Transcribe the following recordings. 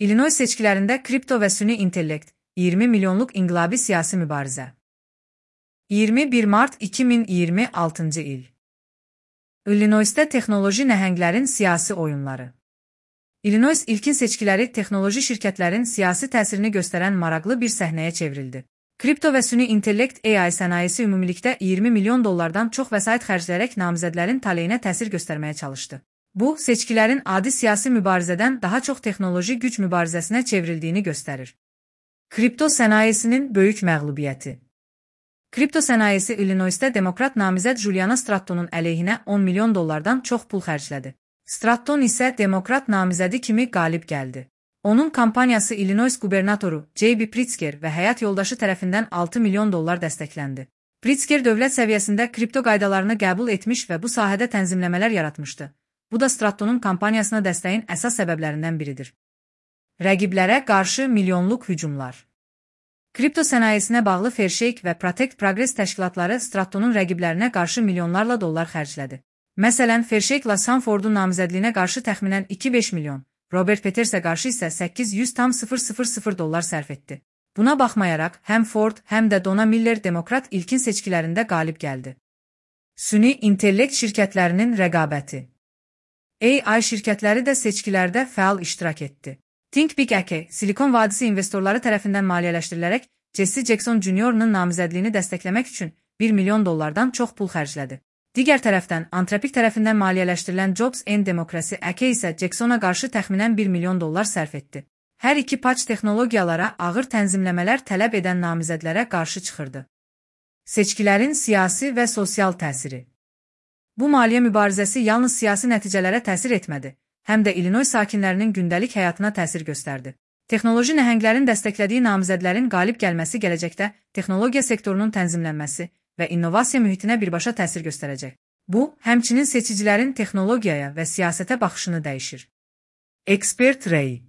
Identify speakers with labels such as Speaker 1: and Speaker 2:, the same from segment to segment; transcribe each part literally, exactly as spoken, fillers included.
Speaker 1: İllinois seçkilərində kripto və süni intellekt, iyirmi milyonluq inqilabi siyasi mübarizə. iyirmi bir mart iki min iyirmi altıncı il. İllinoisdə texnoloji nəhənglərin siyasi oyunları. İllinois ilkin seçkiləri texnoloji şirkətlərin siyasi təsirini göstərən maraqlı bir səhnəyə çevrildi. Kripto və süni intellekt A I sənayesi ümumilikdə iyirmi milyon dollardan çox vəsait xərcləyərək namizədlərin taleyinə təsir göstərməyə çalışdı. Bu, seçkilərin adi siyasi mübarizədən daha çox texnoloji güc mübarizəsinə çevrildiyini göstərir. Kripto sənayesinin böyük məğlubiyyəti. Kripto sənayesi İllinoisdə demokrat namizəd Juliana Strattonun əleyhinə on milyon dollardan çox pul xərclədi. Stratton isə demokrat namizədi kimi qalib gəldi. Onun kampaniyası İllinois qubernatoru J B Pritzker və həyat yoldaşı tərəfindən altı milyon dollar dəstəkləndi. Pritzker dövlət səviyyəsində kripto qaydalarını qəbul etmiş və bu sahədə tənzimləmələr yaratmışdı. Bu da Strattonun kampaniyasına dəstəyin əsas səbəblərindən biridir. Rəqiblərə qarşı milyonluq hücumlar. Kripto sənayesinə bağlı Fairshake və Protect Progress təşkilatları Strattonun rəqiblərinə qarşı milyonlarla dollar xərclədi. Məsələn, Fairshake-la Sanfordun namizədliyinə qarşı təxminən iki beş milyon, Robert Petersə qarşı isə səkkiz yüz min dollar sərf etdi. Buna baxmayaraq, həm Ford, həm də Donna Miller demokrat ilkin seçkilərində qalib gəldi. Süni intellekt şirkətlərinin rəqabəti. A I şirkətləri də seçkilərdə fəal iştirak etdi. ThinkBig A K, Silikon Vadisi investorları tərəfindən maliyyələşdirilərək Jesse Jackson Junior'ın namizədliyini dəstəkləmək üçün bir milyon dollardan çox pul xərclədi. Digər tərəfdən, Anthropic tərəfindən maliyyələşdirilən Jobs and Democracy A K isə Jacksona qarşı təxminən bir milyon dollar sərf etdi. Hər iki paç texnologiyalara ağır tənzimləmələr tələb edən namizədlərə qarşı çıxırdı. Seçkilərin siyasi və sosial təsiri. Bu maliyyə mübarizəsi yalnız siyasi nəticələrə təsir etmədi, həm də İllinois sakinlərinin gündəlik həyatına təsir göstərdi. Texnoloji nəhənglərin dəstəklədiyi namizədlərin qalib gəlməsi gələcəkdə texnologiya sektorunun tənzimlənməsi və innovasiya mühitinə birbaşa təsir göstərəcək. Bu, həmçinin seçicilərin texnologiyaya və siyasətə baxışını dəyişir. Ekspert rəyi.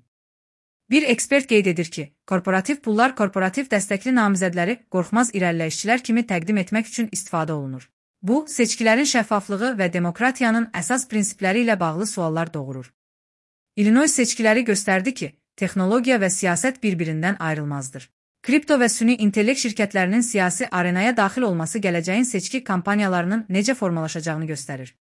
Speaker 1: Bir ekspert qeyd edir ki, korporativ pullar korporativ dəstəkli namizədləri qorxmaz irəliləyişçilər kimi təqdim etmək üçün istifadə olunur. Bu, seçkilərin şəffaflığı və demokratiyanın əsas prinsipləri ilə bağlı suallar doğurur. İllinois seçkiləri göstərdi ki, texnologiya və siyasət bir-birindən ayrılmazdır. Kripto və süni intellekt şirkətlərinin siyasi arenaya daxil olması gələcəyin seçki kampaniyalarının necə formalaşacağını göstərir.